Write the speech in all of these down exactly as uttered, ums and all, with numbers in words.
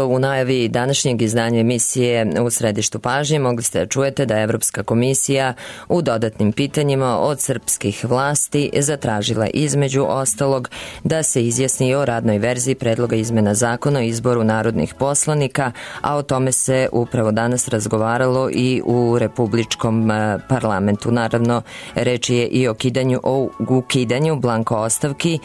u najavi današnjeg izdanja emisije U središtu pažnje mogli ste da čujete da je Evropska komisija u dodatnim pitanjima od srpskih vlasti zatražila između ostalog da se izjasni o radnoj verziji predloga izmena zakona o izboru narodnih poslanika, a o tome se upravo danas razgovaralo i u Republičkom parlamentu. Naravno, reč je i o ukidanju, o ukidanju blanko ostavki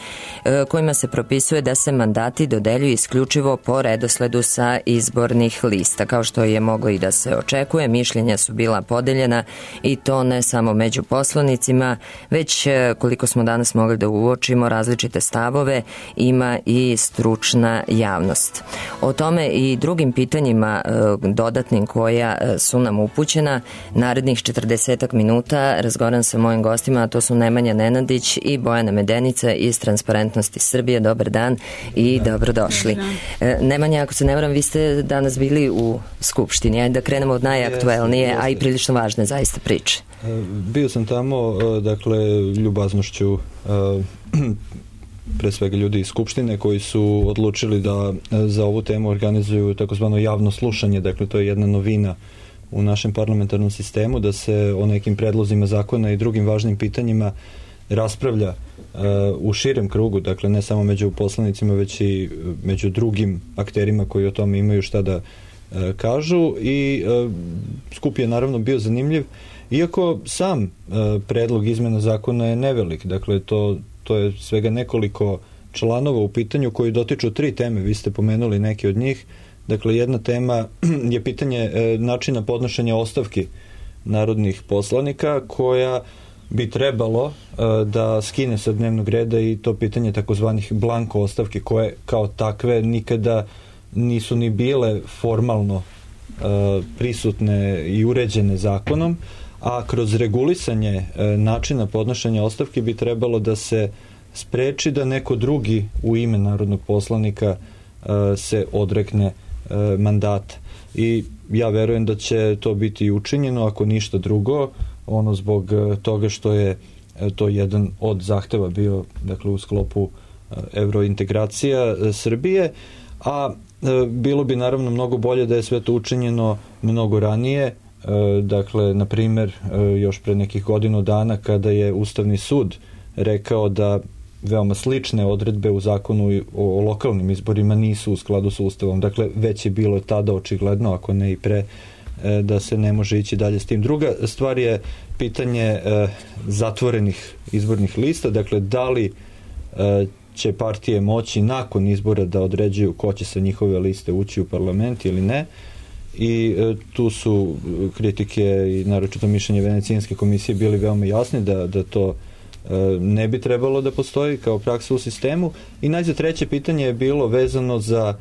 kojima se propisuje da se mandati dodeljuju isključivo po redosledu sa izbornih lista. Kao što je moglo i da se očekuje, mišljenja su bila podeljena i to ne samo među poslanicima, već koliko smo danas mogli da uočimo različite stavove, ima i stručna javnost. O tome i drugim pitanjima dodatnim koja su nam upućena narednih četrdesetak minuta razgovaram sa mojim gostima, a to su Nemanja Nenadić i Bojana Medenica iz Transparentnosti Srbije. Dobar dan i dobrodošli. Nemanja, ako se ne varam, vi ste danas bili u Skupštini. Ajde da krenemo od najaktuelnije, a i prilično važne zaista priče. Bio sam tamo, dakle, ljubaznošću pre svega ljudi iz Skupštine koji su odlučili da za ovu temu organizuju takozvano javno slušanje, dakle to je jedna novina u našem parlamentarnom sistemu, da se o nekim predlozima zakona i drugim važnim pitanjima raspravlja uh, u širem krugu, dakle ne samo među poslanicima, već i među drugim akterima koji o tome imaju šta da uh, kažu i uh, skup je naravno bio zanimljiv, iako sam uh, predlog izmena zakona je nevelik, dakle to, to je svega nekoliko članova u pitanju koji dotiču tri teme, vi ste pomenuli neke od njih. Dakle, jedna tema je pitanje e, načina podnošenja ostavki narodnih poslanika koja bi trebalo e, da skine sa dnevnog reda i to pitanje takozvanih blanko ostavki koje kao takve nikada nisu ni bile formalno e, prisutne i uređene zakonom, a kroz regulisanje e, načina podnošenja ostavki bi trebalo da se spreči da neko drugi u ime narodnog poslanika e, se odrekne mandata. I ja verujem da će to biti učinjeno, ako ništa drugo, ono zbog toga što je to jedan od zahteva bio, dakle, u sklopu evrointegracija Srbije, a bilo bi naravno mnogo bolje da je sve to učinjeno mnogo ranije, dakle, na primer, još pre nekih godinu dana kada je Ustavni sud rekao da veoma slične odredbe u zakonu o lokalnim izborima nisu u skladu sa Ustavom. Dakle, već je bilo tada očigledno, ako ne i pre, da se ne može ići dalje s tim. Druga stvar je pitanje zatvorenih izbornih lista. Dakle, da li će partije moći nakon izbora da određuju ko će sa njihove liste ući u parlament ili ne. I tu su kritike i naročito mišljenje Venecijanske komisije bili veoma jasni da, da to ne bi trebalo da postoji kao praksa u sistemu. I najzad treće pitanje je bilo vezano za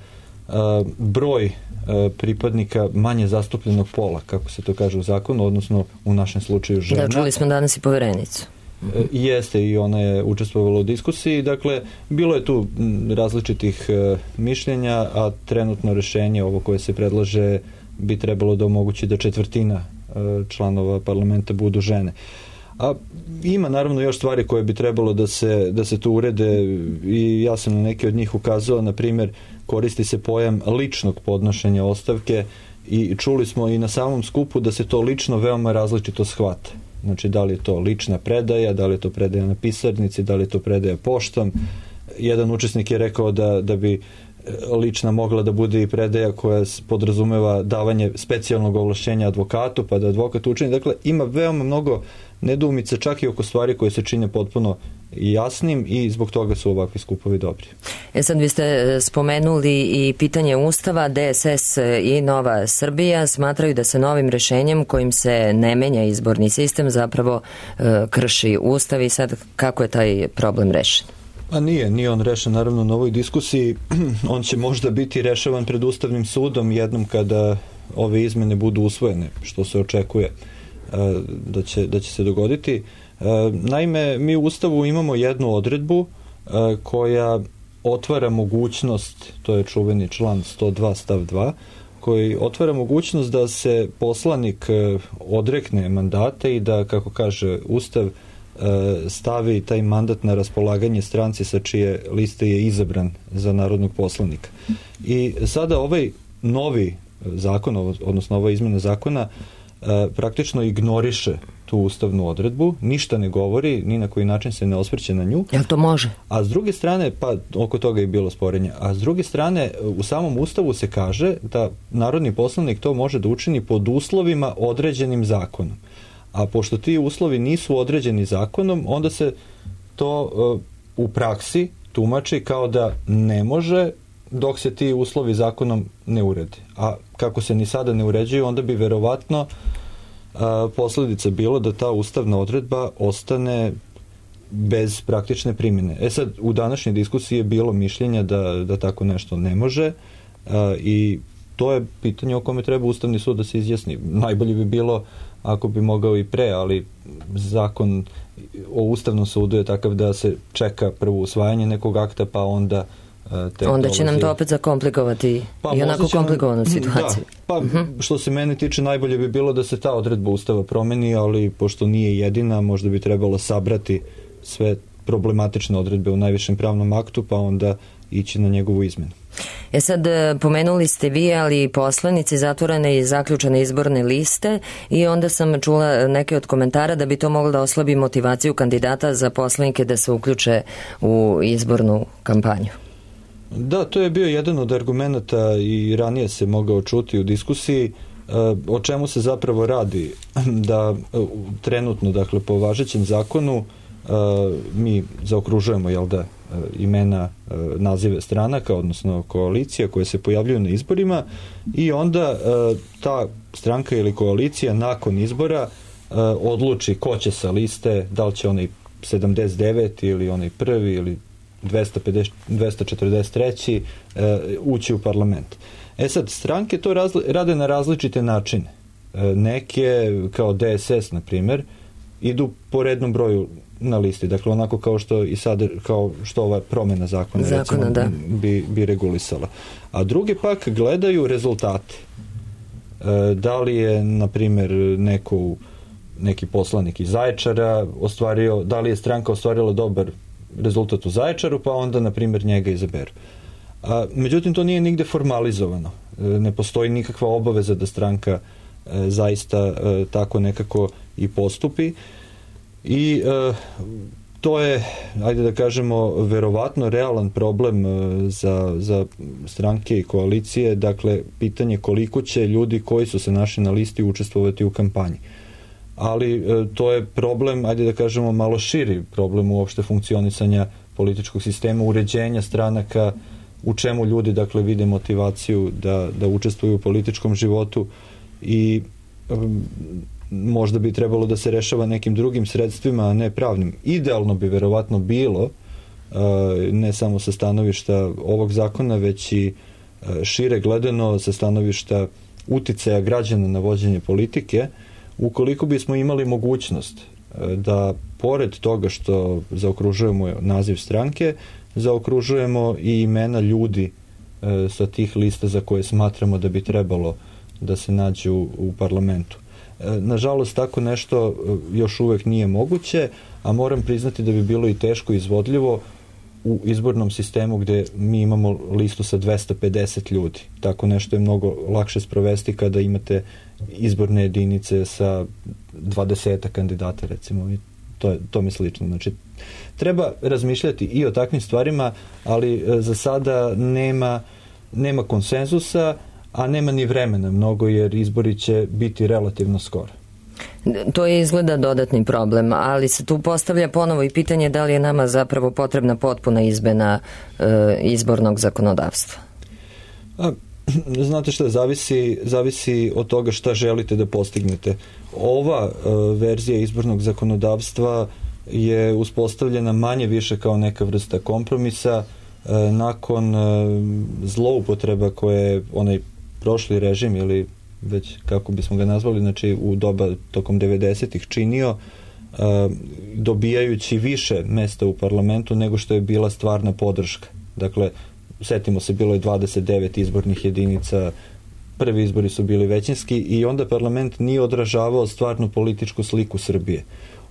uh, broj uh, pripadnika manje zastupljenog pola, kako se to kaže u zakonu, odnosno u našem slučaju žena. Da, čuli smo danas i poverenicu. Uh, jeste, i ona je učestvovala u diskusiji. Dakle, bilo je tu različitih uh, mišljenja, a trenutno rešenje, ovo koje se predlaže, bi trebalo da omogući da četvrtina uh, članova parlamenta budu žene. A ima naravno još stvari koje bi trebalo da se, da se tu urede i ja sam na neke od njih ukazao, na primjer koristi se pojam ličnog podnošenja ostavke i čuli smo i na samom skupu da se to lično veoma različito shvata. Znači, da li je to lična predaja, da li je to predaja na pisarnici, da li je to predaja poštom. Jedan učesnik je rekao da, da bi lična mogla da bude i predaja koja podrazumeva davanje specijalnog ovlašćenja advokatu, pa da advokat učini. Dakle, ima veoma mnogo nedoumice, čak i oko stvari koje se čine potpuno jasnim i zbog toga su ovakvi skupovi dobri. E sad, vi ste spomenuli i pitanje Ustava. D S S i Nova Srbija smatraju da se novim rešenjem kojim se ne menja izborni sistem zapravo e, krši Ustav i sad kako je taj problem rešen? A nije, nije on rešen naravno na ovoj diskusiji. On će možda biti rešavan pred Ustavnim sudom jednom kada ove izmene budu usvojene, što se očekuje da će, da će se dogoditi. Naime, mi u Ustavu imamo jednu odredbu koja otvara mogućnost, to je čuveni član sto dva stav dva, koji otvara mogućnost da se poslanik odrekne mandata i da, kako kaže Ustav, stavi taj mandat na raspolaganje stranci sa čije liste je izabran za narodnog poslanika. I sada ovaj novi zakon, odnosno ova izmena zakona, praktično ignoriše tu ustavnu odredbu, ništa ne govori, ni na koji način se ne osvrće na nju. Jel to može? A s druge strane, pa oko toga je bilo sporenja, a s druge strane u samom Ustavu se kaže da narodni poslanik to može da učini pod uslovima određenim zakonom. A pošto ti uslovi nisu određeni zakonom, onda se to uh, u praksi tumači kao da ne može dok se ti uslovi zakonom ne urede. A kako se ni sada ne uređuju, onda bi verovatno uh, posljedica bilo da ta ustavna odredba ostane bez praktične primjene. E sad, u današnjoj diskusiji je bilo mišljenja da, da tako nešto ne može uh, i to je pitanje o kome treba Ustavni sud da se izjasni. Najbolje bi bilo ako bi mogao i pre, ali zakon o Ustavnom sudu je takav da se čeka prvo usvajanje nekog akta, pa onda te onda će nam to opet zakomplikovati pa, i onako komplikovanu situaciju. Da, pa uh-huh. Što se mene tiče, najbolje bi bilo da se ta odredba Ustava promeni, ali pošto nije jedina, možda bi trebalo sabrati sve problematične odredbe u najvišem pravnom aktu, pa onda ići na njegovu izmenu. E sad, pomenuli ste vi, ali i poslanici zatvorene i zaključene izborne liste i onda sam čula neke od komentara da bi to moglo da oslabi motivaciju kandidata za poslanike da se uključe u izbornu kampanju. Da, to je bio jedan od argumenata i ranije se mogao čuti u diskusiji. O čemu se zapravo radi? Da trenutno, dakle, po važećem zakonu mi zaokružujemo, jel da, imena, nazive stranaka, odnosno koalicija koje se pojavljuju na izborima i onda ta stranka ili koalicija nakon izbora odluči ko će sa liste, da li će onaj sedamdeset deveti ili onaj prvi ili dvesta pedeset, dvesta četrdeset treći ući u parlament. E sad, stranke to razli, rade na različite načine. Neke, kao D S S, na primjer, idu po rednom broju na listi, dakle onako kao što i sad, kao što ova promjena zakona, zakona recimo, da. bi, bi regulisala. A drugi pak gledaju rezultate. E, da li je, na primjer, neko, neki poslanik iz Zaječara ostvario, da li je stranka ostvarila dobar rezultat u Zaječaru, pa onda, na primjer, njega izaberu. A, međutim, to nije nigde formalizovano. E, ne postoji nikakva obaveza da stranka e, zaista e, tako nekako i postupi. I e, to je, ajde da kažemo, verovatno realan problem e, za, za stranke i koalicije, dakle, pitanje koliko će ljudi koji su se našli na listi učestvovati u kampanji. Ali e, to je problem, ajde da kažemo, malo širi problem uopšte funkcionisanja političkog sistema, uređenja stranaka, u čemu ljudi, dakle, vide motivaciju da, da učestvuju u političkom životu i e, možda bi trebalo da se rešava nekim drugim sredstvima, a ne pravnim. Idealno bi verovatno bilo, ne samo sa stanovišta ovog zakona, već i šire gledano sa stanovišta uticaja građana na vođenje politike, ukoliko bismo imali mogućnost da, pored toga što zaokružujemo naziv stranke, zaokružujemo i imena ljudi sa tih lista za koje smatramo da bi trebalo da se nađu u parlamentu. Nažalost, tako nešto još uvek nije moguće, a moram priznati da bi bilo i teško izvodljivo u izbornom sistemu gde mi imamo listu sa dvesta pedeset ljudi. Tako nešto je mnogo lakše sprovesti kada imate izborne jedinice sa dvadeset kandidata, recimo. To, je, to mi slično. Znači, treba razmišljati i o takvim stvarima, ali za sada nema, nema konsenzusa, a nema ni vremena mnogo, jer izbori će biti relativno skoro. To je izgleda dodatni problem, ali se tu postavlja ponovo i pitanje da li je nama zapravo potrebna potpuna izmena e, izbornog zakonodavstva. A, znate šta, zavisi, zavisi od toga šta želite da postignete. Ova e, verzija izbornog zakonodavstva je uspostavljena manje više kao neka vrsta kompromisa e, nakon e, zloupotreba koje je onaj prošli režim, ili već kako bismo ga nazvali, znači u doba tokom devedesetih činio, uh, dobijajući više mesta u parlamentu nego što je bila stvarna podrška. Dakle, setimo se, bilo je dvadeset devet izbornih jedinica, prvi izbori su bili većinski i onda parlament nije odražavao stvarnu političku sliku Srbije.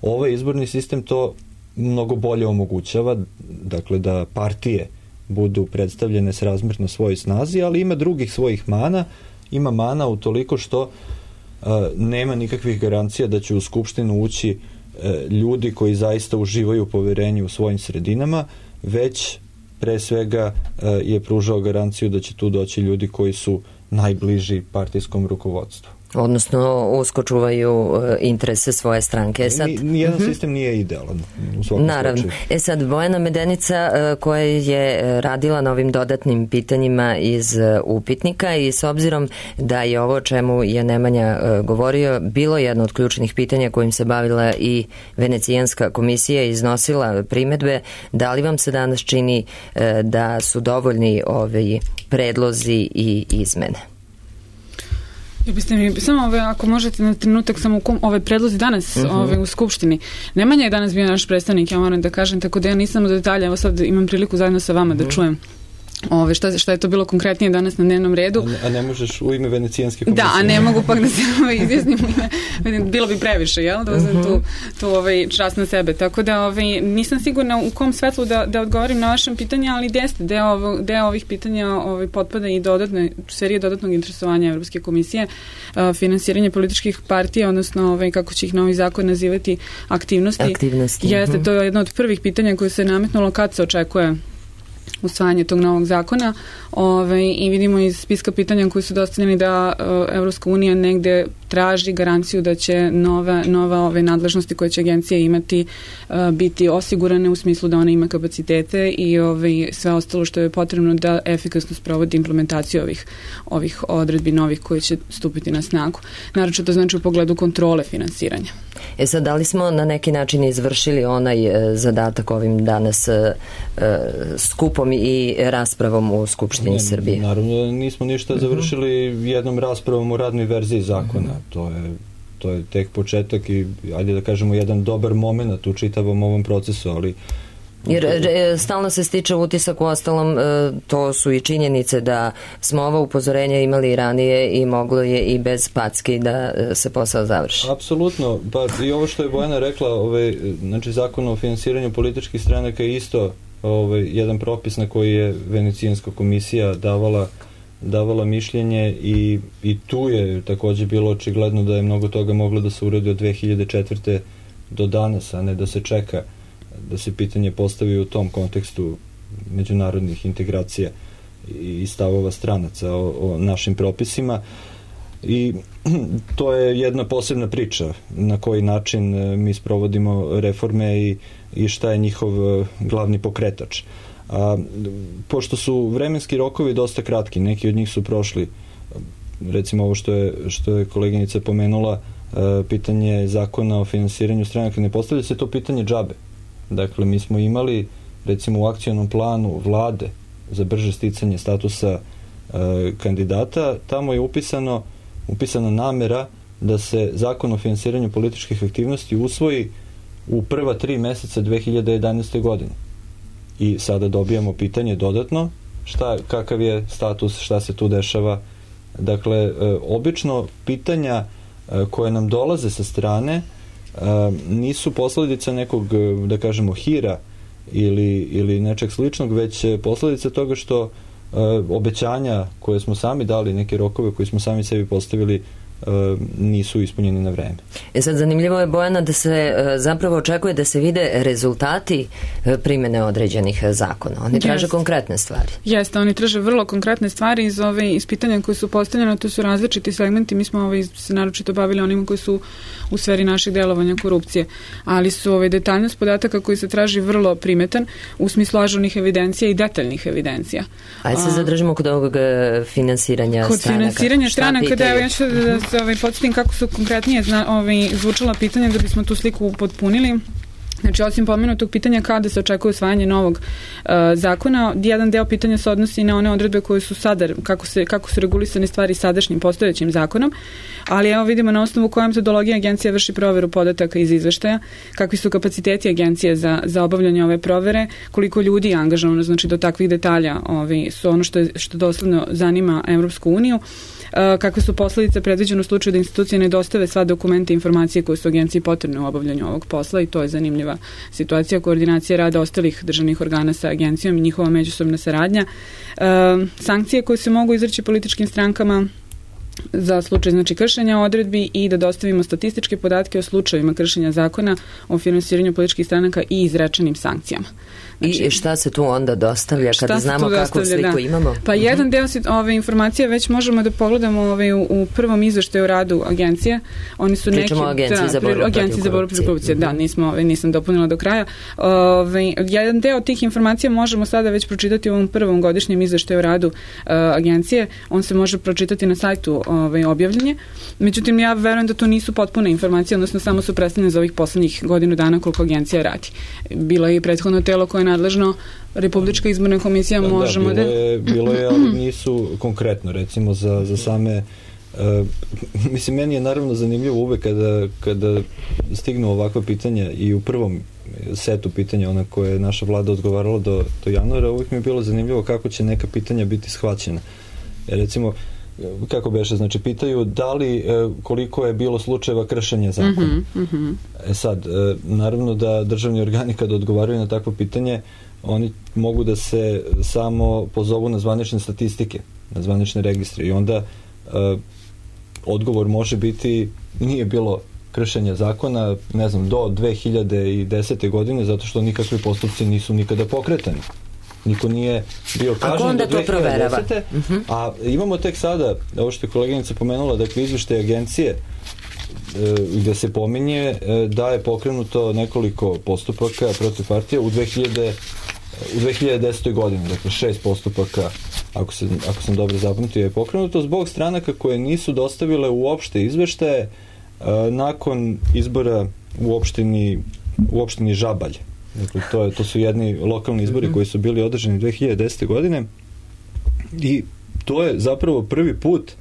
Ovaj izborni sistem to mnogo bolje omogućava, dakle da partije budu predstavljene srazmjerno svojoj snazi, ali ima drugih svojih mana. Ima mana utoliko što uh, nema nikakvih garancija da će u Skupštinu ući uh, ljudi koji zaista uživaju poverenje u svojim sredinama, već pre svega uh, je pružao garanciju da će tu doći ljudi koji su najbliži partijskom rukovodstvu. Odnosno usko čuvaju interese svoje stranke. Sad, nijedan uh-huh. sistem nije idealan u svakom Naravno. slučaju. E sad, Bojana Medenica koja je radila na ovim dodatnim pitanjima iz upitnika i s obzirom da je ovo o čemu je Nemanja govorio bilo jedno od ključnih pitanja kojim se bavila i Venecijanska komisija i iznosila primedbe, da li vam se danas čini da su dovoljni ovi predlozi i izmene? Ja biste mi, samo ove, ako možete na trenutak, samo u kom, ove predlozi danas uh-huh. ove, u Skupštini. Nemanja je danas bio naš predstavnik, ja moram da kažem, tako da ja nisam u detalje, evo sad imam priliku zajedno sa vama uh-huh. da čujem Ove, šta, šta je to bilo konkretnije danas na dnevnom redu. A, a ne možeš u ime Venecijanske komisije? Da, a ne mogu pak da se ovaj, izjasnim u ime, bilo bi previše, jel? Da uzem tu, tu ovaj, čast na sebe. Tako da ovaj, nisam sigurna u kom svetlu da, da odgovorim na vašem pitanje, ali jeste, deo, ovo, deo ovih pitanja ovaj, potpada i dodatne, serije dodatnog interesovanja Evropske komisije, uh, finansiranje političkih partija, odnosno ovaj, kako će ih novi zakon nazivati, aktivnosti. Aktivnosti. Jeste, uh-huh. to je jedno od prvih pitanja koje se nametnulo kad se očekuje usvajanje tog novog zakona, ovaj, i vidimo iz spiska pitanja koji su dostavljeni da uh, Evropska unija negde traži garanciju da će nove, nove ove nadležnosti koje će agencija imati uh, biti osigurane u smislu da ona ima kapacitete i ovaj, sve ostalo što je potrebno da efikasno sprovodi implementaciju ovih, ovih odredbi novih koji će stupiti na snagu. Naravno to znači u pogledu kontrole finansiranja. E sad, da li smo na neki način izvršili onaj e, zadatak ovim danas e, skupom i raspravom u Skupštini ne, Srbije? Naravno, nismo ništa završili jednom raspravom u radnoj verziji zakona. Uh-huh. To je, to je tek početak i, ajde da kažemo, jedan dobar moment u čitavom ovom procesu, ali jer e, stalno se stiče utisak, u ostalom e, to su i činjenice da smo ova upozorenja imali ranije i moglo je i bez packi da e, se posao završi. Apsolutno, pa i ovo što je Bojana rekla, ovaj, znači zakon o finansiranju političkih stranaka je isto ovaj, jedan propis na koji je Venecijanska komisija davala davala mišljenje i, i tu je također bilo očigledno da je mnogo toga moglo da se uradi od dve hiljade četvrte do danas, a ne da se čeka da se pitanje postavi u tom kontekstu međunarodnih integracija i stavova stranaca o, o našim propisima. I to je jedna posebna priča na koji način mi sprovodimo reforme i, i šta je njihov glavni pokretač. A, pošto su vremenski rokovi dosta kratki, neki od njih su prošli, recimo ovo što je, što je koleginica pomenula, pitanje zakona o finansiranju stranaka, ne postavlja se to pitanje džabe. Dakle, mi smo imali, recimo, u akcionom planu vlade za brže sticanje statusa e, kandidata, tamo je upisano, upisana namera da se zakon o finansiranju političkih aktivnosti usvoji u prva tri meseca dve hiljade jedanaeste. godine. I sada dobijamo pitanje dodatno, šta, kakav je status, šta se tu dešava. Dakle, e, obično pitanja e, koje nam dolaze sa strane Uh, nisu posledica nekog, da kažemo, hira ili, ili nečeg sličnog, već posledica toga što uh, obećanja koje smo sami dali, neke rokove koje smo sami sebi postavili, uh, nisu ispunjeni na vreme. E sad, zanimljivo je, Bojana, da se uh, zapravo očekuje da se vide rezultati uh, primene određenih zakona. Oni traže Jest. konkretne stvari. Jeste, oni traže vrlo konkretne stvari iz ove iz pitanja koje su postavljene, to su različiti segmenti. Mi smo ove, se naročito bavili onima koji su u sferi našeg delovanja korupcije, ali su ove detaljnost podataka koji se traži vrlo primetan u smislu ažurnih evidencija i detaljnih evidencija. Ajde se zadržimo kod ovog finansiranja kod stranaka. Kod finansiranja stranaka, da, ja ću da se ovaj, podsjetim kako su konkretnije zna, ovaj, zvučala pitanja da bismo tu sliku potpunili. Znači, osim pomenutog pitanja kada se očekuje usvajanje novog uh, zakona, jedan deo pitanja se odnosi na one odredbe koje su sada, kako, se, kako su regulisane stvari sadašnjim postojećim zakonom, ali evo vidimo na osnovu koja metodologija agencija vrši proveru podataka iz izveštaja, kakvi su kapaciteti agencije za, za obavljanje ove provere, koliko ljudi je angažovano, znači do takvih detalja ovi, su ono što, je, što dosledno zanima Evropsku uniju, kakve su posledice predviđene u slučaju da institucije ne dostave sva dokumenta i informacije koje su agenciji potrebne u obavljanju ovog posla i to je zanimljiva situacija koordinacije rada ostalih državnih organa sa agencijom i njihova međusobna saradnja. E, sankcije koje se mogu izreći političkim strankama za slučaj znači kršenja odredbi i da dostavimo statističke podatke o slučajevima kršenja zakona o finansiranju političkih stranaka i izrečenim sankcijama. Znači, I šta se tu onda dostavlja kada znamo kakvu sliku da. imamo? Pa uh-huh. jedan deo ove informacije već možemo da pogledamo ove, u, u prvom izveštaju o radu agencije. Oni su Pričamo neki, o agenciji da, za borbu protiv korupcije. korupcije. Uh-huh. Da, nismo, ove, nisam dopunila do kraja. Ove, jedan deo tih informacija možemo sada već pročitati u ovom prvom godišnjem izveštaju o radu uh, agencije. On se može pročitati na sajtu ove, objavljenje. Međutim, ja verujem da to nisu potpune informacije, odnosno samo su predstavljene za ovih poslednjih godinu dana koliko agencija radi. Bilo je i prethodno telo koje je nadležno, Republička izborna komisija, da, možemo da... Bilo je, bilo je, ali nisu konkretno, recimo za, za same... Uh, mislim, meni je naravno zanimljivo uvek kada, kada stignu ovakva pitanja i u prvom setu pitanja, ona koje je naša vlada odgovarala do, do januara, uvek mi je bilo zanimljivo kako će neka pitanja biti shvaćena. Jer recimo, kako beše, znači pitaju da li, koliko je bilo slučajeva kršenja zakona. Mm-hmm, mm-hmm. E sad, naravno da državni organi kad odgovaraju na takvo pitanje, oni mogu da se samo pozovu na zvanične statistike, na zvanične registre i onda uh, odgovor može biti nije bilo kršenja zakona, ne znam, do dve hiljade desete. godine, zato što nikakvi postupci nisu nikada pokretani. Niko nije bio kažnjen do dve hiljade desete. Uh-huh. A imamo tek sada, ovo što je koleginica pomenula, dakle izveštaj agencije e, gde se pominje e, da je pokrenuto nekoliko postupaka protiv partije u dve hiljade u dve hiljade desetoj. godini, dakle šest postupaka, ako, se, ako sam dobro zapamtio, je pokrenuto zbog stranaka koje nisu dostavile uopšte izveštaje e, nakon izbora u opštini, u opštini Žabalj. Dakle, to, je, to su jedni lokalni izbori mm-hmm. koji su bili održani dve hiljade desete. godine i to je zapravo prvi put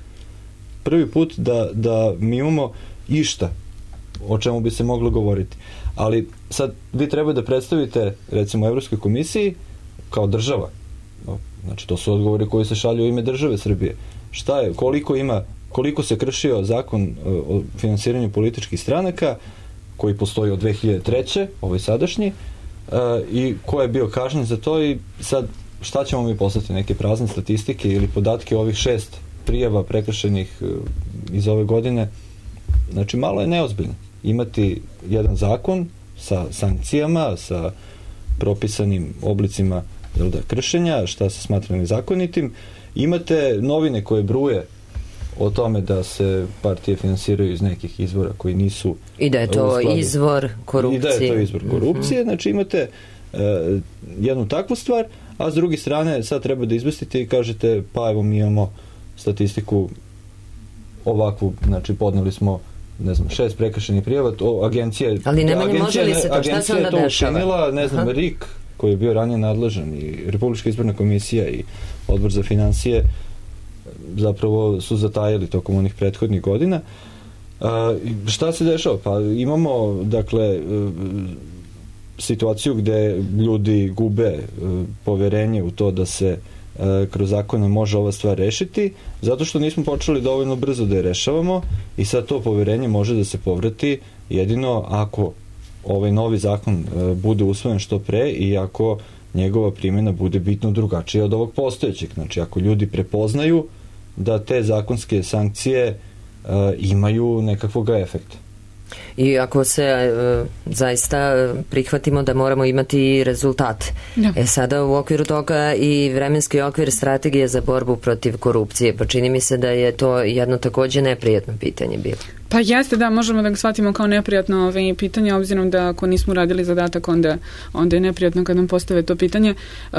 prvi put da, da mi imamo išta o čemu bi se moglo govoriti. Ali sad vi treba da predstavite recimo Evropskoj komisiji kao država. Znači to su odgovori koji se šalju u ime države Srbije. Šta je, koliko ima, koliko se kršio zakon o finansiranju političkih stranaka koji postoji od dve hiljade treće. ovaj sadašnji, Uh, i ko je bio kažnjen za to i sad šta ćemo mi poslati, neke prazne statistike ili podatke ovih šest prijava prekršenih uh, iz ove godine. Znači malo je neozbiljno imati jedan zakon sa sankcijama, sa propisanim oblicima jel da, kršenja, šta se smatra nezakonitim. Imate novine koje bruje o tome da se partije finansiraju iz nekih izvora koji nisu... I da je to izvor korupcije. I da je to izvor korupcije. Mm-hmm. Znači imate uh, jednu takvu stvar, a s druge strane sad treba da izvestite i kažete pa evo mi imamo statistiku ovakvu, znači podneli smo ne znam, šest prekršenih prijava, to agencija... Ali ne manje može li se to, šta se onda dešava? Agencija je to učinila, ne znam, R I K, koji je bio ranije nadležan, i Republička izborna komisija i Odbor za finansije zapravo su zatajali tokom onih prethodnih godina. Uh, šta se dešava? Pa imamo, dakle, uh, situaciju gde ljudi gube uh, poverenje u to da se uh, kroz zakone može ova stvar rešiti, zato što nismo počeli dovoljno brzo da je rešavamo i sad to poverenje može da se povrati jedino ako ovaj novi zakon uh, bude usvojen što pre i ako njegova primjena bude bitno drugačija od ovog postojećeg. Znači, ako ljudi prepoznaju da te zakonske sankcije uh, imaju nekakvog efekta. I ako se uh, zaista prihvatimo da moramo imati rezultat. Ja. E sada u okviru toga i vremenski okvir strategije za borbu protiv korupcije, pa čini mi se da je to jedno takođe neprijatno pitanje bilo. Pa jeste, da, možemo da ga shvatimo kao neprijatno ove pitanje, obzirom da ako nismo radili zadatak, onda, onda je neprijatno kad nam postave to pitanje. Uh,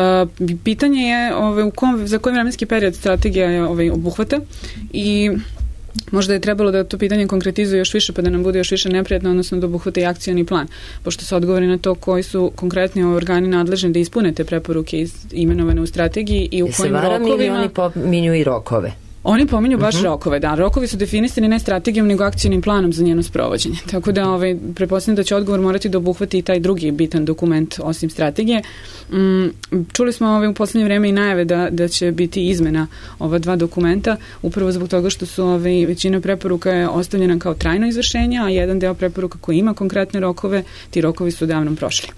pitanje je ove, u kom, za koji vremenski period strategija je ove, obuhvata i Možda je trebalo da to pitanje konkretizuje još više pa da nam bude još više neprijatno, odnosno da obuhvate i akcioni plan, pošto se odgovori na to koji su konkretni organi nadležni da ispune te preporuke iz, imenovane u strategiji i u I kojim rokovima... ili oni pominju i rokove? Oni pominju baš uh-huh. rokove, da. Rokovi su definisani ne strategijom, nego akcijnim planom za njeno sprovođenje. Tako da, ovaj, pretpostavljam da će odgovor morati da obuhvati i taj drugi bitan dokument osim strategije. Mm, čuli smo ovaj, u poslednje vreme i najave da, da će biti izmena ova dva dokumenta, upravo zbog toga što su ovaj, većina preporuka je ostavljena kao trajno izvršenje, a jedan deo preporuka koji ima konkretne rokove, ti rokovi su davno prošli.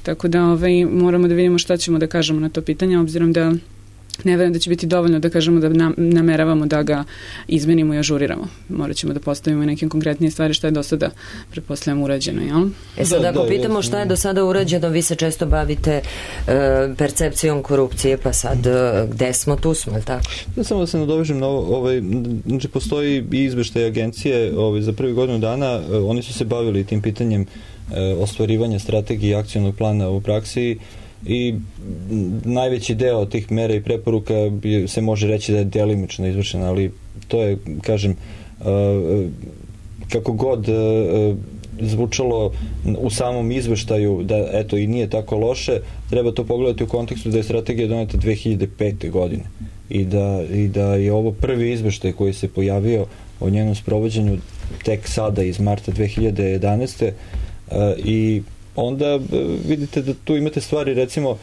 Tako da ovaj, moramo da vidimo šta ćemo da kažemo na to pitanje, obzirom da ne verujem da će biti dovoljno da kažemo da nam, nameravamo da ga izmenimo i ažuriramo. Morat ćemo da postavimo neke konkretnije stvari što je do sada, pretpostavljam, urađeno, jel? E sad, da, ako da, pitamo jasno. šta je do sada urađeno, vi se često bavite e, percepcijom korupcije, pa sad e, gde smo, tu smo, ili tako? Da, samo da se nadovežem na ovo, ovaj, znači postoji i izveštaj agencije ovaj, za prvi godinu dana, eh, oni su se bavili tim pitanjem eh, ostvarivanja strategije i akcionog plana u praksi i najveći deo tih mera i preporuka bi, se može reći da je delimično izvršena, ali to je, kažem, uh, kako god uh, zvučalo u samom izveštaju da eto i nije tako loše, treba to pogledati u kontekstu da je strategija doneta dve hiljade pete. godine i da, i da je ovo prvi izveštaj koji se pojavio o njenom sprovođenju tek sada iz marta dve hiljade jedanaeste. Uh, i onda vidite da tu imate stvari, recimo,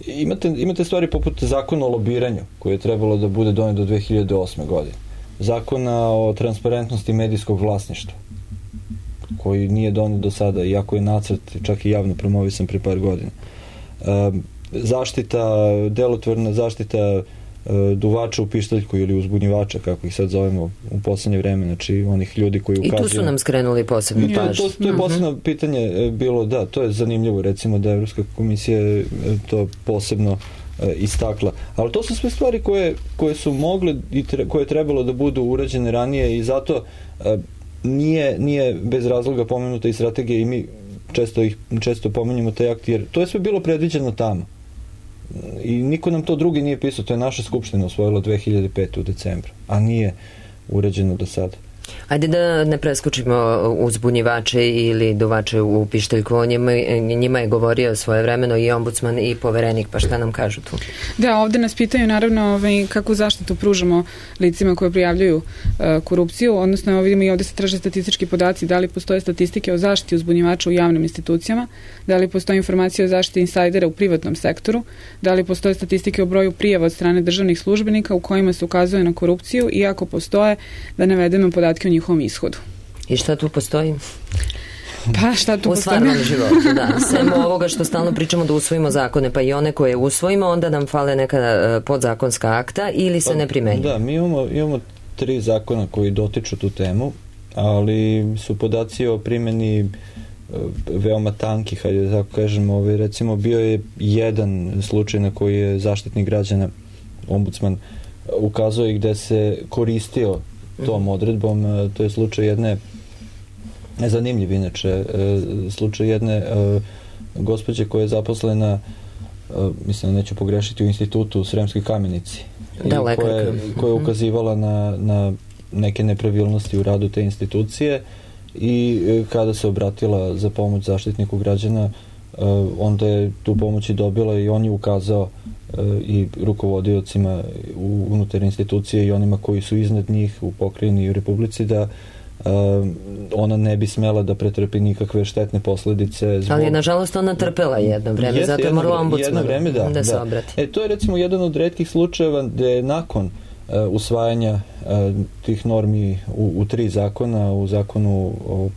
imate, imate stvari poput zakona o lobiranju, koji je trebalo da bude donet do dve hiljade osme. godine. Zakona o transparentnosti medijskog vlasništva, koji nije donet do sada, iako je nacrt čak i javno promovisan pre par godina. Zaštita, delotvorna zaštita duvača u pištaljku ili uzbunjivača, kako ih sad zovemo u poslednje vreme, znači onih ljudi koji ukazuju... I tu su nam skrenuli posebno pažnju. To, to, to je posebno uh-huh. pitanje bilo, da, to je zanimljivo, recimo da Evropska komisija to posebno uh, istakla. Ali to su sve stvari koje, koje su mogle i tre, koje je trebalo da budu urađene ranije i zato uh, nije, nije bez razloga pomenuta i strategija i mi često, ih, često pominjamo taj akt, jer to je sve bilo predviđeno tamo. I niko nam to drugi nije pisao, to je naša skupština usvojila dve hiljade pete. u decembru, a nije urađeno do sada. Ajde da ne preskočimo uzbunjivače ili duvače u pištaljku, njima, njima je govorio svojevremeno i ombudsman i poverenik, pa šta nam kažu tu? Da, ovde nas pitaju naravno ovaj, kakvu zaštitu pružamo licima koje prijavljuju uh, korupciju, odnosno vidimo i ovde se traže statistički podaci, da li postoje statistike o zaštiti uzbunjivača u javnim institucijama, da li postoje informacije o zaštiti insajdera u privatnom sektoru, da li postoje statistike o broju prijava od strane državnih službenika u kojima se ukazuje na korupciju i ako postoje, da navedemo podatke o njihovom ishodu. I šta tu postoji? Pa šta tu u postoji? U stvarnom životu, da. Svemo ovoga što stalno pričamo da usvojimo zakone, pa i one koje usvojimo, onda nam fale neka podzakonska akta ili se ne primenjuju. Da, mi imamo, imamo tri zakona koji dotiču tu temu, ali su podaci o primjeni veoma tanki, hajde da tako kažemo. Ovaj, recimo, bio je jedan slučaj na koji je Zaštitnik građana, ombudsman, ukazao i gde se koristio tom odredbom. To je slučaj jedne, zanimljiv inače, slučaj jedne gospođe koja je zaposlena, mislim da neću pogrešiti, u institutu u Sremskoj Kamenici. Da, koja, koja je ukazivala na, na neke nepravilnosti u radu te institucije i kada se obratila za pomoć Zaštitniku građana, onda je tu pomoć i dobila i on je ukazao i rukovodiocima unutar institucije i onima koji su iznad njih u pokrajini i u Republici da ona ne bi smela da pretrpi nikakve štetne posledice. Zbog... Ali nažalost ona trpela jedno vreme, zato je morala ombudsman da, da se da. obrati. E, to je recimo jedan od retkih slučajeva gde je nakon uh, usvajanja uh, tih normi u, u tri zakona, u zakonu o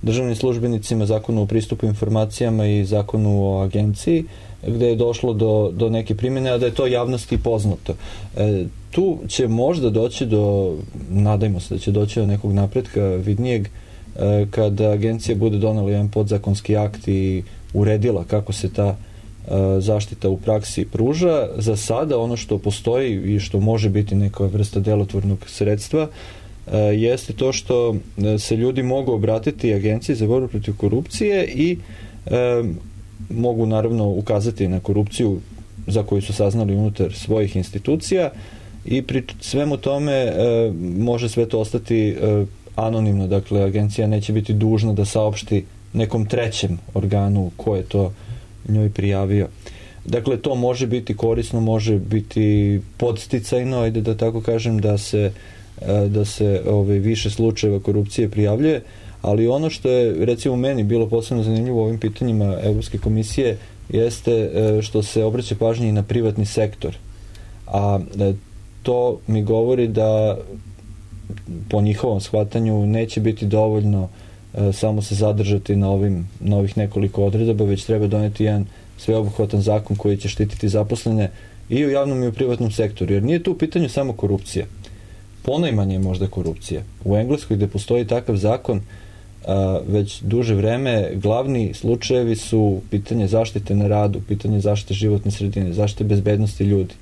državnim službenicima, zakonu o pristupu informacijama i zakonu o agenciji, gde je došlo do, do neke primjene, a da je to javnosti poznato. E, tu će možda doći do, nadajmo se da će doći do nekog napretka vidnijeg, e, kada agencija bude donela jedan podzakonski akt i uredila kako se ta e, zaštita u praksi pruža. Za sada ono što postoji i što može biti neka vrsta delotvornog sredstva e, jeste to što se ljudi mogu obratiti agenciji za borbu protiv korupcije i e, mogu naravno ukazati na korupciju za koju su saznali unutar svojih institucija i pri svemu tome e, može sve to ostati e, anonimno, dakle agencija neće biti dužna da saopšti nekom trećem organu ko je to njoj prijavio. Dakle, to može biti korisno, može biti podsticajno, ajde da tako kažem, da se, da se ove, više slučajeva korupcije prijavljuje, ali ono što je, recimo, meni bilo posebno zanimljivo u ovim pitanjima Evropske komisije jeste što se obraća pažnje i na privatni sektor. A to mi govori da po njihovom shvatanju neće biti dovoljno samo se zadržati na ovim novih nekoliko odredaba, već treba doneti jedan sveobuhvatan zakon koji će štititi zaposlene i u javnom i u privatnom sektoru. Jer nije tu u pitanju samo korupcija. Ponajmanje je možda korupcija. U Engleskoj gde postoji takav zakon a, već duže vreme, glavni slučajevi su pitanje zaštite na radu, pitanje zaštite životne sredine, zaštite bezbednosti ljudi.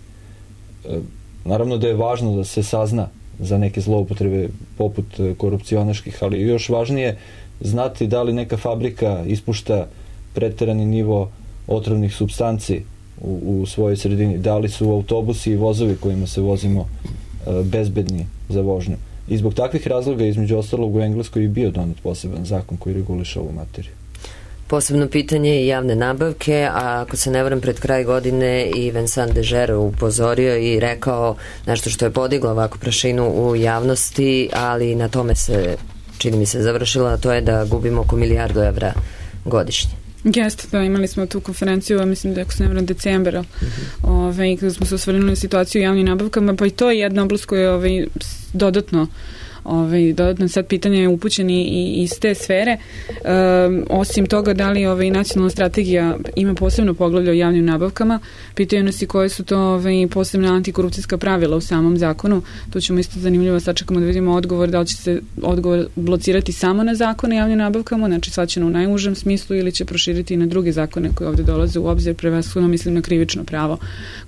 E, naravno da je važno da se sazna za neke zloupotrebe poput korupcionaških, ali još važnije znati da li neka fabrika ispušta preterani nivo otrovnih supstanci u, u svojoj sredini, da li su autobusi i vozovi kojima se vozimo e, bezbedni za vožnju. I zbog takvih razloga, između ostalog, u Engleskoj je bio donet poseban zakon koji reguliše ovu materiju. Posebno pitanje je javne nabavke, a ako se ne varam, pred kraj godine i Vincent Dežer upozorio i rekao nešto što je podiglo ovako prašinu u javnosti, ali na tome se, čini mi se, završila, a to je da gubimo oko milijardu evra godišnje. Jeste, da, imali smo tu konferenciju, mislim da je, ako se ne varam, decembra, mm-hmm. ove, kada smo se osvrnuli na situaciju u javnim nabavkama, pa i to je jedna oblast koja je ove, dodatno Ovaj, dodatno sad pitanje je upućeni i iz te sfere. Um, osim toga, da li ovaj, nacionalna strategija ima posebno poglavlje o javnim nabavkama, pitaju nas i koje su to ovaj, posebna antikorupcijska pravila u samom zakonu. Tu ćemo isto zanimljivo sačekamo da vidimo odgovor, da li će se odgovor blocirati samo na zakone o javnim nabavkama, znači svačeno u najužem smislu, ili će proširiti i na druge zakone koje ovde dolaze u obzir, prevashodno mislim na krivično pravo,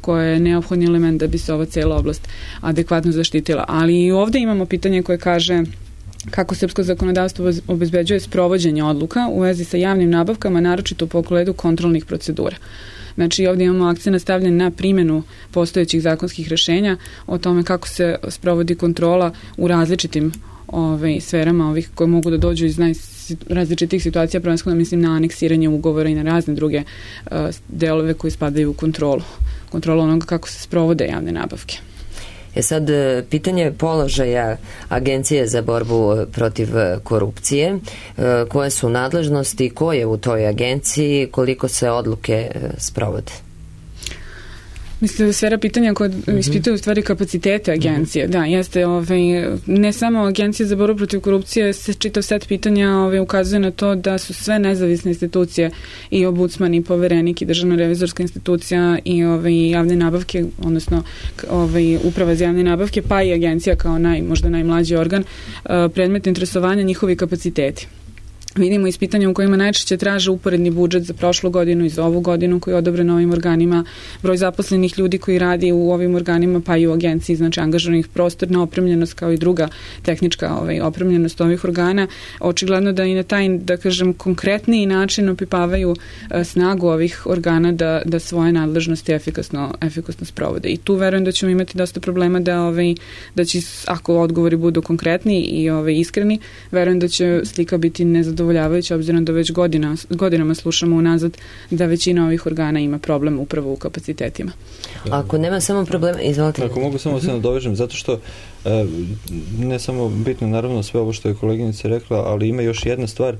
koje je neophodni element da bi se ova cela oblast adekvatno zaštitila. Ali i ovde imamo pitanje koje kaže kako srpsko zakonodavstvo obezbeđuje sprovođenje odluka u vezi sa javnim nabavkama, naročito u pogledu kontrolnih procedura. Znači, ovdje imamo akcent stavljen na primjenu postojećih zakonskih rešenja o tome kako se sprovodi kontrola u različitim ovaj, sferama ovih koje mogu da dođu iz najrazličitih situacija, prvenstveno mislim na aneksiranje ugovora i na razne druge uh, delove koji spadaju u kontrolu. Kontrolu onoga kako se sprovode javne nabavke. E sad, pitanje položaja Agencije za borbu protiv korupcije, koje su nadležnosti, ko je u toj agenciji, koliko se odluke sprovode? Mislim da je sfera pitanja koja mm-hmm. ispitaju u stvari kapacitete agencije. Mm-hmm. Da, jeste, ovaj, ne samo Agencija za borbu protiv korupcije, se čitav set pitanja ovaj, ukazuje na to da su sve nezavisne institucije, i ombudsman, i poverenik, i državna revizorska institucija, i ovaj, javne nabavke, odnosno ovaj, uprava za javne nabavke, pa i agencija kao naj, možda najmlađi organ, predmet interesovanja njihovi kapaciteti. Vidimo iz pitanja u kojima najčešće traže uporedni budžet za prošlu godinu i za ovu godinu koji je odobren ovim organima, broj zaposlenih ljudi koji radi u ovim organima, pa i u agenciji, znači angažovanih, prostorna opremljenost kao i druga tehnička ovaj, opremljenost ovih organa. Očigledno da i na taj, da kažem, konkretniji način opipavaju a, snagu ovih organa da, da svoje nadležnosti efikasno, efikasno sprovode. I tu verujem da ćemo imati dosta problema da, ovaj, da će, ako odgovori budu konkretni i ovaj, iskreni, verujem da će slika biti nezadovoljna, obzirom da već godina, godinama slušamo unazad da većina ovih organa ima problem upravo u kapacitetima. Ako nema samo problema, izvolite. Ako mogu samo se nadovežem, zato što ne samo bitno naravno sve ovo što je koleginica rekla, ali ima još jedna stvar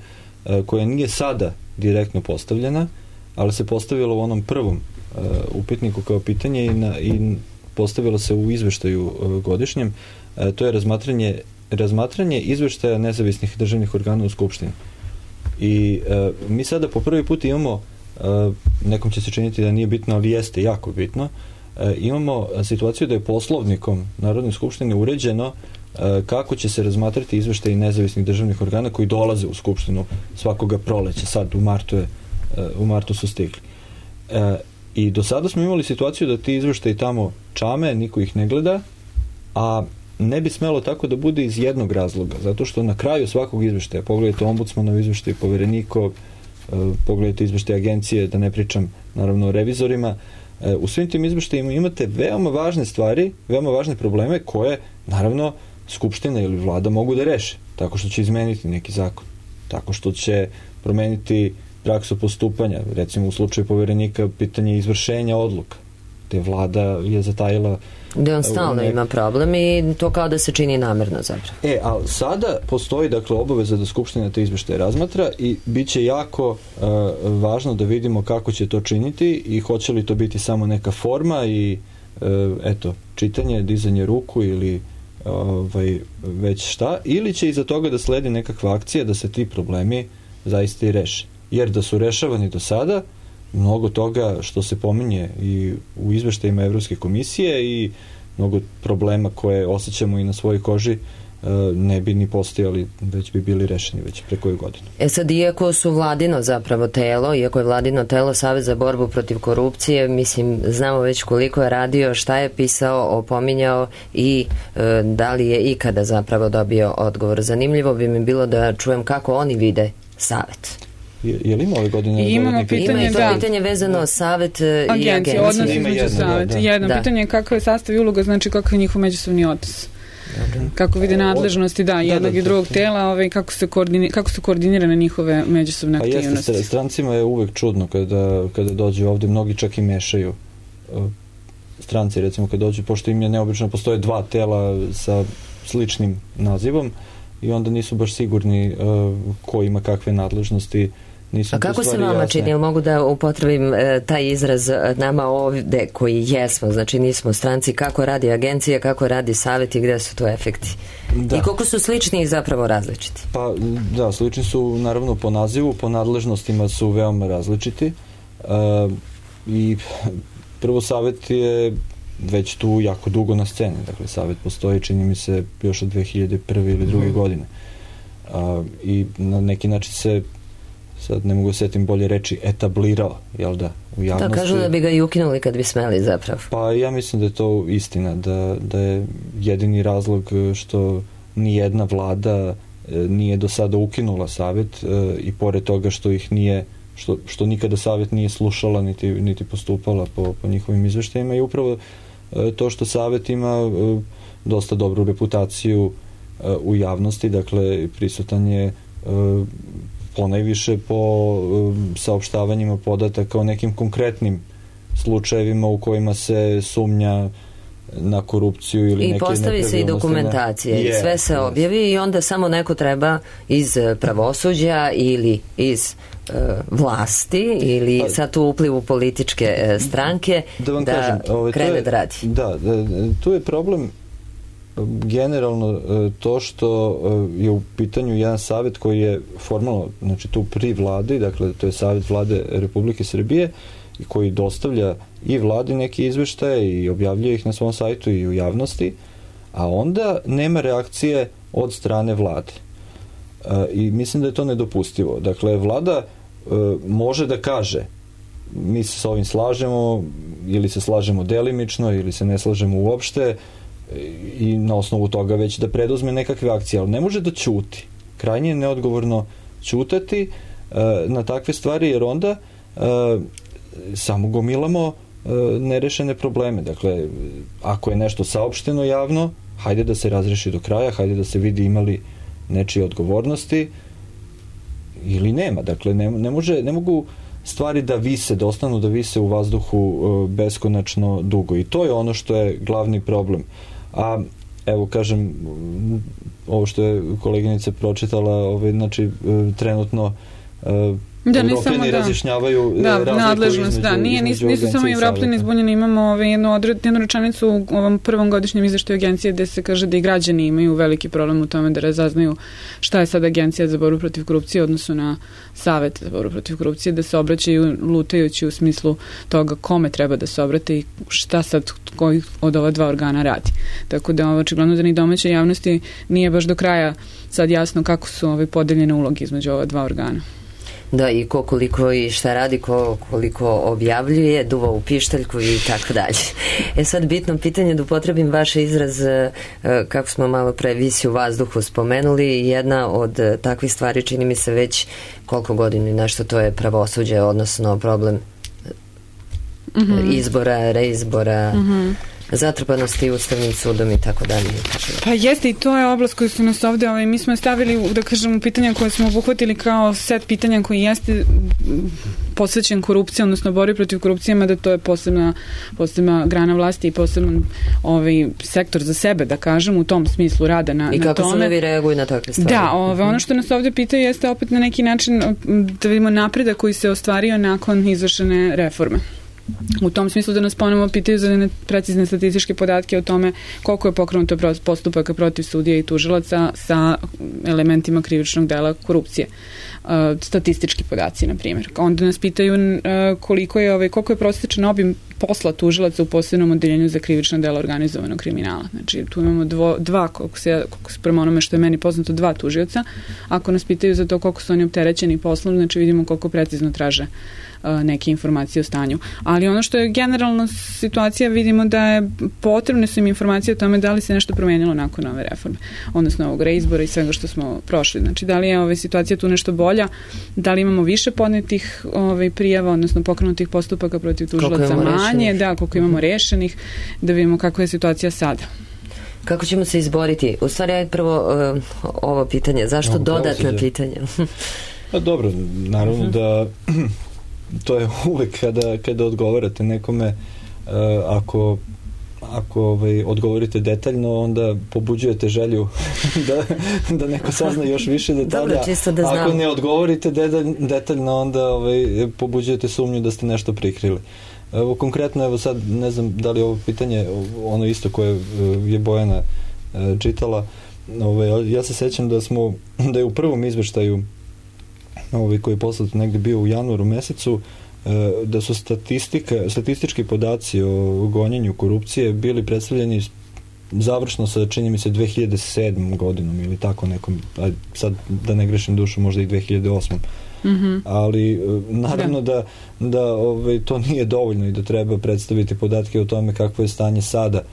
koja nije sada direktno postavljena, ali se postavila u onom prvom upitniku kao pitanje i, na, i postavila se u izveštaju godišnjem, to je razmatranje razmatranje izveštaja nezavisnih državnih organa u Skupštini. I e, mi sada po prvi put imamo, e, nekom će se činiti da nije bitno, ali jeste jako bitno, e, imamo situaciju da je poslovnikom Narodne skupštine uređeno e, kako će se razmatrati izveštaji nezavisnih državnih organa koji dolaze u Skupštinu svakoga proleća. Sad u martu, je, e, u martu su stigli. E, I do sada smo imali situaciju da ti izveštaji tamo čame, niko ih ne gleda, a ne bi smelo tako da bude iz jednog razloga, zato što na kraju svakog izveštaja, pogledajte ombudsmanov izveštaj, poverenikov, pogledajte izveštaj agencije, da ne pričam naravno o revizorima, u svim tim izveštajima imate veoma važne stvari, veoma važne probleme koje, naravno, Skupština ili vlada mogu da reše, tako što će izmeniti neki zakon, tako što će promeniti praksu postupanja, recimo u slučaju poverenika pitanje izvršenja odluka, gde vlada je zatajila gde on stalno nek... ima problem i to kao da se čini namerno zapravo. E, ali sada postoji dakle obaveza da Skupština te izveštaje razmatra i bit će jako uh, važno da vidimo kako će to činiti i hoće li to biti samo neka forma i uh, eto, čitanje, dizanje ruku ili ovaj, već šta, ili će iza toga da sledi nekakva akcija da se ti problemi zaista i reše. Jer da su rešavani do sada, mnogo toga što se pominje i u izveštajima Evropske komisije i mnogo problema koje osjećamo i na svojoj koži ne bi ni postojali, već bi bili rešeni već pre koju godinu. E sad, iako su vladino zapravo telo, iako je vladino telo Savet za borbu protiv korupcije, mislim, znamo već koliko je radio, šta je pisao, opominjao i e, da li je ikada zapravo dobio odgovor. Zanimljivo bi mi bilo da čujem kako oni vide Savet. Je, je li ima ove godine? Imamo pitanje, ima i to da. pitanje vezano da. Savet i agencije. Odnos između Savet. Da, da. Jedno da. pitanje je kakav je sastav i uloga, znači kakav je njihov međusobni odnos. Dobre. Kako vide nadležnosti, da, jednog da, da, i drugog tela, ovaj, kako, se koordini, kako su koordinirane njihove međusobne aktivnosti. Pa jeste, strancima je uvek čudno kada, kada dođu ovde, mnogi čak i mešaju. Stranci, recimo, kada dođu, pošto im je neobično, postoje dva tela sa sličnim nazivom i onda nisu baš sigurni uh, ko ima kakve nadležnosti. Nisu A kako se vama čini, ili mogu da upotrebim e, taj izraz nama ovde koji jesmo, znači nismo stranci, kako radi agencija, kako radi Savet i gde su to efekti? Da. I koliko su slični i zapravo različiti? Pa da, slični su naravno po nazivu, po nadležnostima su veoma različiti e, i prvo Savet je već tu jako dugo na sceni, dakle Savet postoji, čini mi se, još od dve hiljade prve ili druge godine a, i na neki način se, sad ne mogu setim bolje reći, etablirao, jel da, u javnosti. Da, kažu da bi ga i ukinuli kad bi smeli zapravo. Pa ja mislim da je to istina, da, da je jedini razlog što nijedna vlada nije do sada ukinula Savet i pored toga što ih nije, što, što nikada Savet nije slušala niti, niti postupala po, po njihovim izveštajima i upravo to što Savet ima dosta dobru reputaciju u javnosti, dakle prisutan je ponajviše po um, saopštavanjima podataka o nekim konkretnim slučajevima u kojima se sumnja na korupciju ili I neke nepravilnosti. I postavi se i dokumentacije i sve se objavi i onda samo neko treba iz pravosuđa ili iz uh, vlasti ili pa, sad tu uplivu političke uh, stranke da, vam da kažem, ovaj, krene je, da radi. Da, da, tu je problem generalno to što je u pitanju jedan savet koji je formalno, znači tu pri vladi, dakle to je Savet vlade Republike Srbije i koji dostavlja i vladi neke izveštaje i objavljuje ih na svom sajtu i u javnosti, a onda nema reakcije od strane vlade. I mislim da je to nedopustivo. Dakle, vlada može da kaže mi se s ovim slažemo ili se slažemo delimično ili se ne slažemo uopšte i na osnovu toga već da preduzme nekakve akcije, ali ne može da ćuti. Krajnje je neodgovorno ćutati e, na takve stvari, jer onda e, samo gomilamo e, nerešene probleme. Dakle, ako je nešto saopšteno javno, hajde da se razreši do kraja, hajde da se vidi imali nečije odgovornosti ili nema. Dakle, ne, ne, može, ne mogu stvari da vise, da ostanu da vise u vazduhu e, beskonačno dugo. I to je ono što je glavni problem. A evo kažem, ovo što je koleginica pročitala, ovaj, znači trenutno da, Evropljani da. razjašnjavaju da, razliku nadležnost, između, da, nije, između nisu samo Evropljani zbunjeni, imamo ovaj, jednu, odred, jednu rečanicu u ovom prvom godišnjem izveštaju agencije gde se kaže da i građani imaju veliki problem u tome da razaznaju šta je sad Agencija za borbu protiv korupcije odnosno na Savet za borbu protiv korupcije, da se obraćaju lutajući u smislu toga kome treba da se obrate i šta sad koji od ova dva organa radi. Tako da očigledno da ni domaća javnosti nije baš do kraja sad jasno kako su ove podeljene uloge između ova dva organa. Da, i ko koliko i šta radi, ko koliko objavljuje, duva u pištaljku i tako dalje. E sad bitno pitanje da upotrebim vaš izraz, kako smo malo pre visi u vazduhu spomenuli, jedna od takvih stvari čini mi se već koliko godina nešto, to je pravosuđe, odnosno problem mm-hmm. izbora, reizbora, mm-hmm. zatrpanosti Ustavnim sudom i tako dalje. Pa jeste, i to je oblast koju su nas ovde, ovaj, mi smo stavili, da kažemo, pitanja koje smo obuhvatili kao set pitanja koji jeste posvećen korupciji, odnosno borbi protiv korupcije, mada to je posebna, posebna grana vlasti i poseban ovaj, sektor za sebe, da kažem, u tom smislu rada na, I na tome. I kako sudovi reaguju na takve stvari? Da, ove, ono što nas ovde pitaju jeste opet na neki način da vidimo napredak koji se ostvario nakon izvršene reforme. U tom smislu da nas ponovo pitaju za precizne statističke podatke o tome koliko je pokrenuto postupaka protiv sudija i tužilaca sa elementima krivičnog dela korupcije. Statistički podaci, na primjer. Onda nas pitaju koliko je, ovaj, koliko je prosječan obim posla tužilaca u posebnom odeljenju za krivično delo organizovanog kriminala. Znači, tu imamo dvo, dva, koliko se, koliko se prema onome što je meni poznato, dva tužioca. Ako nas pitaju za to koliko su oni opterećeni poslom, znači vidimo koliko precizno traže neke informacije o stanju. Ali ono što je generalno situacija, vidimo da je potrebne su im informacije o tome da li se nešto promenilo nakon ove reforme, odnosno ovog reizbora i svega što smo prošli. Znači, da li je ova situacija tu nešto bolja, da li imamo više podnetih ovaj, prijava, odnosno pokrenutih postupaka protiv tužilaca manje, da, koliko imamo rešenih, da vidimo kakva je situacija sada. Kako ćemo se izboriti? U stvari, ajde prvo uh, ovo pitanje. Zašto no, dodatna pitanja? Pa dobro, naravno uh-huh. da to je uvek kada, kada odgovarate nekome, uh, ako ako ovaj, odgovorite detaljno, onda pobuđujete želju da, da neko sazna još više detalja. Dobro, čisto da znam. Ako ne odgovorite detalj, detaljno, onda ovaj, pobuđujete sumnju da ste nešto prikrili. Evo, konkretno, evo sad, ne znam da li je ovo pitanje ono isto koje je Bojana uh, čitala. Ovaj, ja se sećam da smo, da je u prvom izveštaju ovaj, koji je poslat negde bio u januaru mesecu, da su statistika, statistički podaci o gonjenju korupcije bili predstavljeni završno sa, čini mi se, dve hiljade sedmom godinom ili tako nekom, sad da ne grešim dušu, možda i dve hiljade osmom. Mm-hmm. Ali naravno da, da, da ovaj, to nije dovoljno i da treba predstaviti podatke o tome kakvo je stanje sada.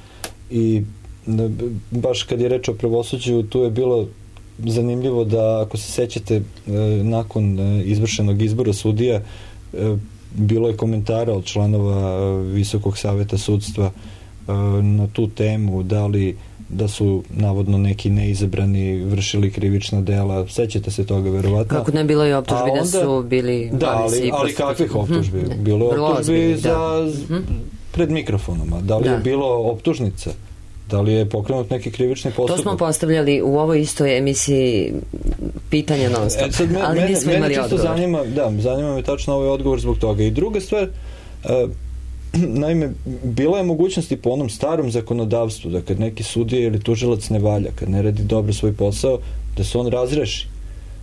I da, baš kad je reč o pravosuđu, tu je bilo zanimljivo da, ako se sećate, nakon izvršenog izbora sudija, bilo je komentara od članova Visokog saveta sudstva na tu temu, da li da su navodno neki neizabrani vršili krivična dela. Sećate se toga, verovatno? Kako ne bilo i optužbi onda, da su bili... Da, ali, ali kakvih optužbi? Hmm. Bilo je optužbi za, da. pred mikrofonom. Da li da. je bilo optužnica? Da li je pokrenut neki krivični postupak? To smo postavljali u ovoj istoj emisiji pitanja non stop, e, sad me, ali nismo mene, imali mene odgovor. Zanima, da, zanima me tačno ovaj odgovor zbog toga. I druga stvar, uh, naime, bila je mogućnost i po onom starom zakonodavstvu da kad neki sudija ili tužilac ne valja, kad ne radi dobro svoj posao, da se on razreši.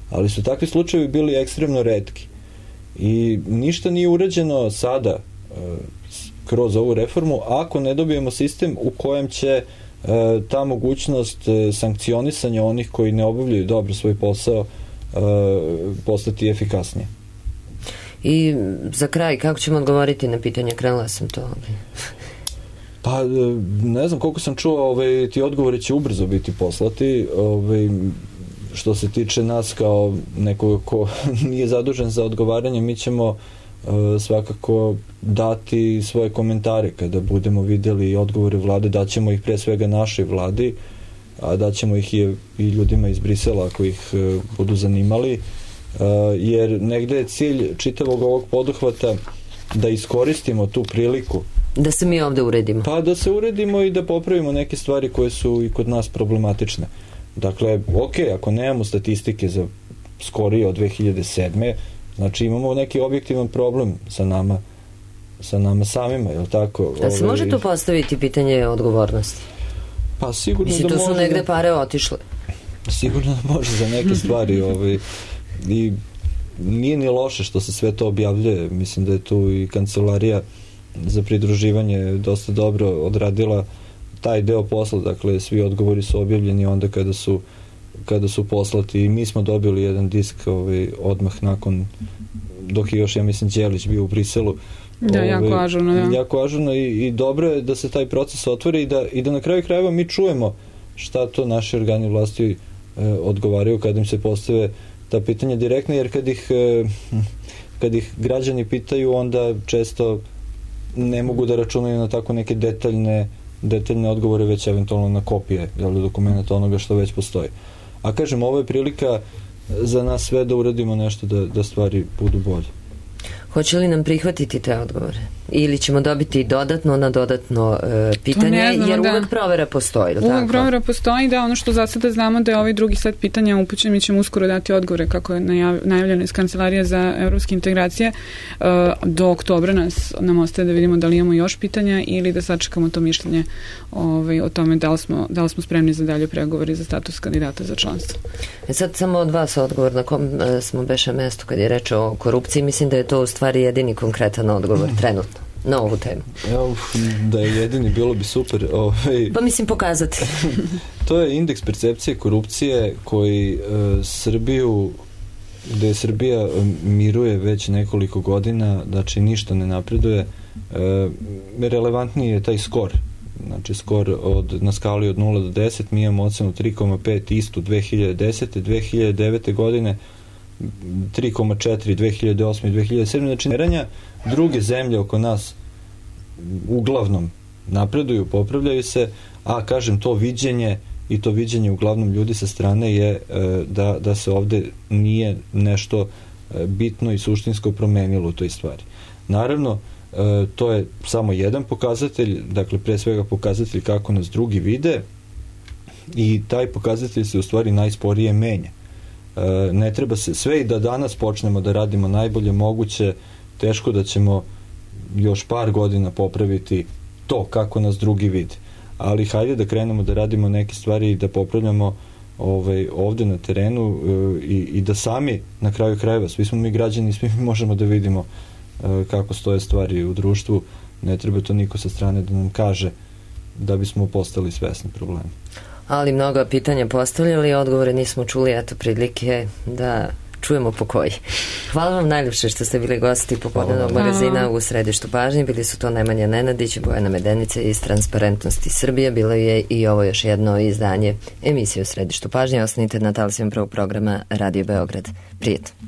Ali su takvi slučajevi bili ekstremno retki. I ništa nije urađeno sada uh, kroz ovu reformu, ako ne dobijemo sistem u kojem će e, ta mogućnost e, sankcionisanja onih koji ne obavljaju dobro svoj posao e, postati efikasnije. I za kraj, kako ćemo odgovoriti na pitanje? Krenula sam to. Pa, ne znam, koliko sam čuo, ovaj, ti odgovori će ubrzo biti poslati. Ovaj, što se tiče nas kao nekoga ko nije zadužen za odgovaranje, mi ćemo svakako dati svoje komentare kada budemo videli odgovore vlade, daćemo ih pre svega našoj vladi, a daćemo ih i, i ljudima iz Brisela ako ih uh, budu zanimali, uh, jer negde je cilj čitavog ovog poduhvata da iskoristimo tu priliku. Da se mi ovde uredimo. Pa da se uredimo i da popravimo neke stvari koje su i kod nas problematične. Dakle, ok, ako nemamo statistike za skorije od dve hiljade sedme, znači imamo neki objektivan problem sa nama, sa nama samima, je li tako? Da se može tu postaviti pitanje odgovornosti? Pa sigurno Mislim, da može. Mislim, tu su negde pare otišle. Sigurno da može za neke stvari. ovaj, I nije ni loše što se sve to objavljuje. Mislim da je tu i kancelarija za pridruživanje dosta dobro odradila taj deo posla. Dakle, svi odgovori su objavljeni onda kada su kada su poslati i mi smo dobili jedan disk ovaj, odmah nakon, dok je još, ja mislim, Đelić bio u Briselu. Da, ovaj, jako ažurno, da. Jako ažurno i, i dobro je da se taj proces otvori i da, i da na kraju krajeva mi čujemo šta to naši organi vlasti e, odgovaraju kada im se postave ta pitanja direktno, jer kad ih, e, kad ih građani pitaju, onda često ne mogu da računaju na tako neke detaljne, detaljne odgovore, već eventualno na kopije dokumenta onoga što već postoji. A kažem, ovo je prilika za nas sve da uradimo nešto da, da stvari budu bolje. Hoće li nam prihvatiti te odgovore? Ili ćemo dobiti dodatno na dodatno e, pitanje, znamo, jer da. uvek provera postoji. Uvek tako? provera postoji, da, ono što za sada znamo da je ovaj drugi set pitanja upućen, mi ćemo uskoro dati odgovore kako je najav, najavljeno iz Kancelarije za evropske integracije. E, do oktobra nas nam ostaje da vidimo da li imamo još pitanja ili da sačekamo to mišljenje ovaj, o tome da li, smo, da li smo spremni za dalje pregovori za status kandidata za članstvo. E sad samo od vas odgovor na kom e, smo beše mesto kad je reč o korupciji. Mislim da je to u stvari jedini konkretan odgovor trenutno na ovu temu. Evo, da je jedini, bilo bi super. Ovaj, pa mislim pokazati. To je indeks percepcije korupcije koji uh, Srbiju, gde je Srbija miruje već nekoliko godina, znači ništa ne napreduje. Uh, relevantniji je taj skor. Znači skor od, na skali od nula do deset, mi imamo ocenu tri zarez pet istu dve hiljade desete. dve hiljade devete. godine tri zarez četiri, dve hiljade osme i dve hiljade sedme. Znači, neranja, druge zemlje oko nas uglavnom napreduju, popravljaju se, a kažem, to viđenje i to viđenje uglavnom ljudi sa strane je e, da, da se ovde nije nešto e, bitno i suštinsko promenilo u toj stvari. Naravno, e, to je samo jedan pokazatelj, dakle, pre svega pokazatelj kako nas drugi vide, i taj pokazatelj se u stvari najsporije menja. E, ne treba se sve i da danas počnemo da radimo najbolje moguće, teško da ćemo još par godina popraviti to kako nas drugi vide. Ali hajde da krenemo da radimo neke stvari i da popravljamo ovaj, ovde na terenu e, i, i da sami na kraju krajeva, svi smo mi građani, svi mi možemo da vidimo e, kako stoje stvari u društvu. Ne treba to niko sa strane da nam kaže da bismo postali svesni problema. Ali mnogo pitanja postavljali, odgovore nismo čuli, eto prilike da čujemo po koji. Hvala vam najljepše što ste bili gosti popodnevnog magazina u središtu pažnje. Bili su to Nemanja Nenadić, Bojana Medenica iz Transparentnosti Srbije. Bilo je i ovo još jedno izdanje emisije u središtu pažnje. Ostanite na talasima prvog programa Radio Beograd. Prijetno.